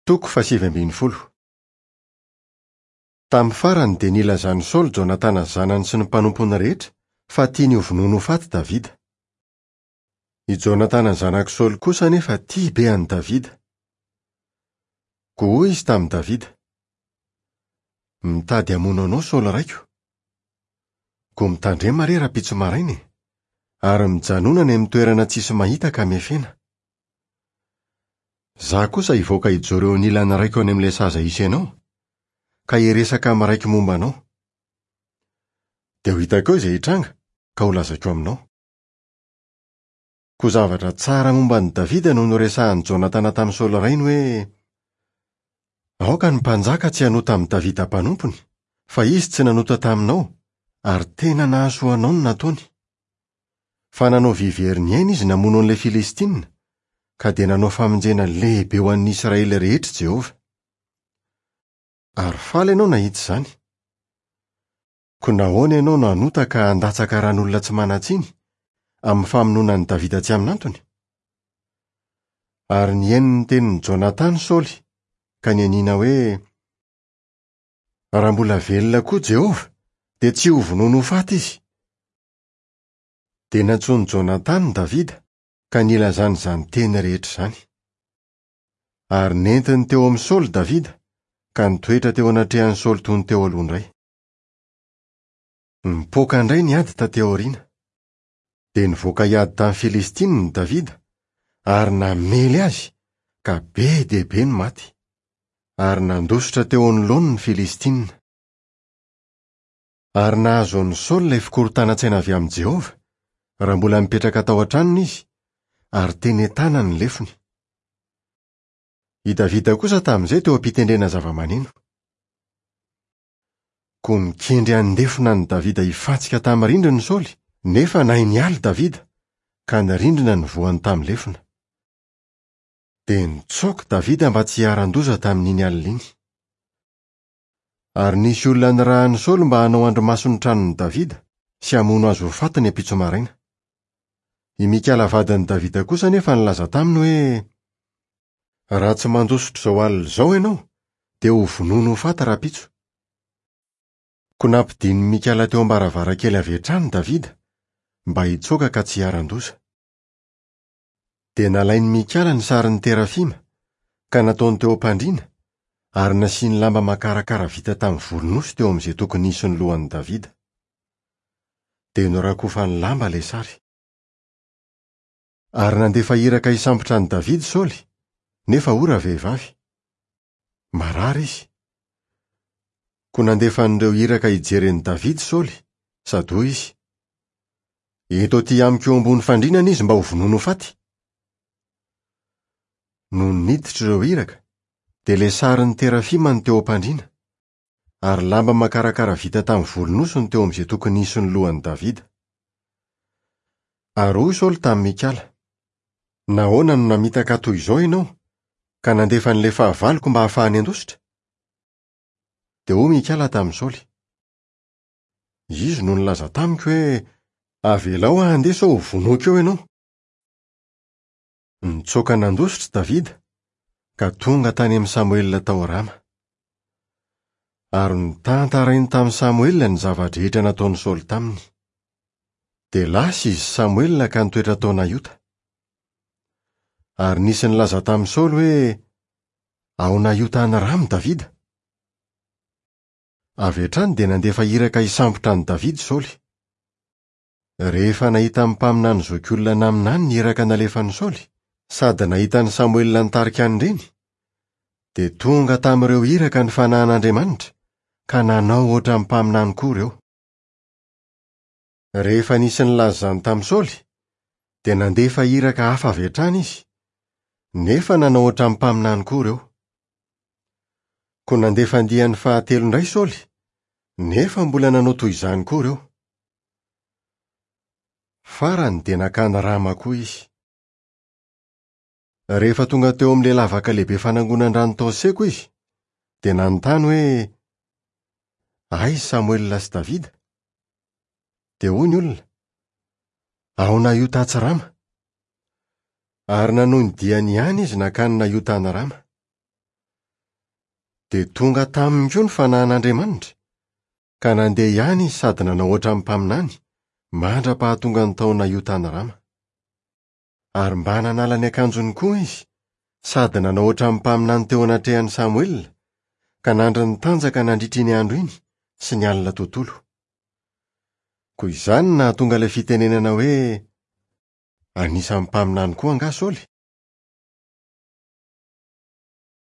Toko fahasivy ambin'ny folo. Tamin'ny farany dia nilazan'i Saoly Jonatana zanany sy ny mpanompony rehetra fa tiany hovonoina ho faty Davida. I Jonatana zanak'i Saoly kosa anefa tia be an'i Davida. Koa hoy izy tamin'i Davida, Mitady hamono anao Saoly raiko. Koa mitandrema re rahampitso maraina e, ary mijanona any amin'ny toerana tsisy mahita ka miafena. Izaho kosa hivoaka hijoro eo anilan'ny raiko any amin'ilay saza hisy anao, ka hiresaka amin'ny raiko momba anao. Dia ho hitako eo izay hitranga, ka holazaiko aminao. Koa zavatra tsara momba an'i Davida no noresahin'i Jonatana tamin'i Saoly rainy hoe, Aoka ny mpanjaka tsy hanota amin'i Davida mpanompony, fa izy tsy nanota taminao, ary tena nahasoa anao ny nataony. Fa nanao vy very ny ainy izy namono an'ilay Filistina, ka dia nanao famonjena lehibe ho an'ny Israely rehetra i Jehovah. Ary faly ianao nahita izany. Koa nahoana ianao no hanota ka handatsaka ran'olona tsy manan-tsiny, amin'ny famonoana an'i Davida tsy amin'antony? Ary nihaino ny tenin'i Jonatana Saoly, ka nianiana hoe, Raha mbola velona koa Jehovah, dia tsy hovonoiny ho faty izy. Dia nantsoin'i Jonatana Davida ka nilazany izany teny rehetra izany. Ary nentiny teo amin'i Saoly Davida ka nitoetra teo anatrehan'i Saoly toy ny teo aloha indray. Nipoaka indray ny ady taty aoriana. Dia nivoaka hiady tamin'ny Filistinina i Davida ary namely azy ka be dia be ny maty. Ary nandositra teo anoloany ny Filistinina. Ary nahazo an'i Saoly ilay fikorontanan-tsaina avy amin'i Jehovah, raha mbola nipetraka tao an-tranony izy, ary teny an-tanany ny lefony. I Davida kosa tamin'izay teo am-pitendrena zavamaneno. Koa nikendry handefona an'i Davida hifantsika tamin'ny rindrina i Saoly, nefa nahay niala i Davida, ka ny rindrina nivohany tamin'ny lefona. Dia nitsoaka Davida mba tsy hiharan-doza tamin'iny alina iny. Ary nisy olona nirahin'i Saoly mba hanao andrimaso ny tranon'i Davida sy hamono azy ho faty ny ampitso maraina. I Mikala vadin'i Davida kosa anefa nilaza taminy hoe, Raha tsy mandositra izao alina izao ianao, dia hovonoina ho faty rahampitso. Koa nampidinin'i Mikala teo am-baravarankely avy hatrany Davida mba hitsoaka ka tsy hiharan-doza. Dia nalain'i Mikala ny sarin'ny terafima, ka nataony teo am-pandriana, ary nasiany lamba makarakara vita tamin'ny volon'osy teo amin'izay tokony hisy ny lohan'i Davida. Dia norakofany lamba ilay sary. Ary nandefa iraka hisambotra an'i Davida Saoly, nefa hoy ravehivavy, Marary izy. Koa nandefa an'ireo iraka hijery an'i Davida Saoly, sady hoy izy, Ento aty amiko eo ambony fandriana anie izy mba ho vonoina ho faty. Nony niditra ireo iraka, dia ilay sarin'ny terafima no teo am-pandriana, ary lamba makarakara vita tamin'ny volon'osy no teo amin'izay tokony hisy ny lohan'i Davida. Ary hoy Saoly tamin'i Mikala, Nahoana no namitaka ahy toy izao ianao, ka nandefa an'ilay fahavaloko mba hahafahany handositra? Dia hoy Mikala tamin'i Saoly, Izy no nilaza tamiko hoe, 'Avelao aho handeha sao hovonoiko eo ianao. Nitsoaka nandositra Davida, ka tonga tany amin'i Samoela tao Rama. Ary notantarainy tamin'i Samoela ny zava-drehetra nataon'i Saoly taminy. Dia lasa izy sy Samoela ka nitoetra tao Naiota. Ary nisy nilaza tamin'i Saoly hoe, Ao Naiota any Rama Davida. Avy hatrany dia nandefa iraka hisambotra an'i Davida Saoly. Rehefa nahita ny mpaminany zokiolona naminany ny iraka nalefan'i Saoly, sady nahita an'i Samoela nitarika an'ireny, dia tonga tamin'ireo iraka ny fanahin'Andriamanitra, ka nanao hoatran'ny mpaminany koa ireo. Rehefa nisy nilaza izany tamin'i Saoly, dia nandefa iraka hafa avy hatrany izy, nefa nanao hoatran'ny mpaminany koa ireo. Koa nandefa andiany fahatelo indray Saoly, nefa mbola nanao toy izany koa ireo. Farany dia nankany Rama koa izy. Rehefa tonga teo amin'ilay lavaka lehibe fanangonan-drano tao Seko izy, dia nanontany hoe, Aiza Samoela sy Davida? Dia hoy ny olona, Ao Naiota atsy Rama. Ary nanohy ny diany ihany izy nankany Naiota any Rama. Dia tonga taminy koa ny fanahin'Andriamanitra, ka nandeha ihany izy sady nanao hoatran'ny mpaminany, mandra-pahatongany tao Naio tany Rama. Ary mba nanala ny akanjony koa izy, sady nanao hoatran'ny mpaminany teo anatrehan'i Samoela, ka nandry nitanjaka nandritra iny andro iny sy ny alina tontolo. Koa izany no nahatonga ilay fitenenana hoe, Anisan'ny mpaminany koa angaha Saoly?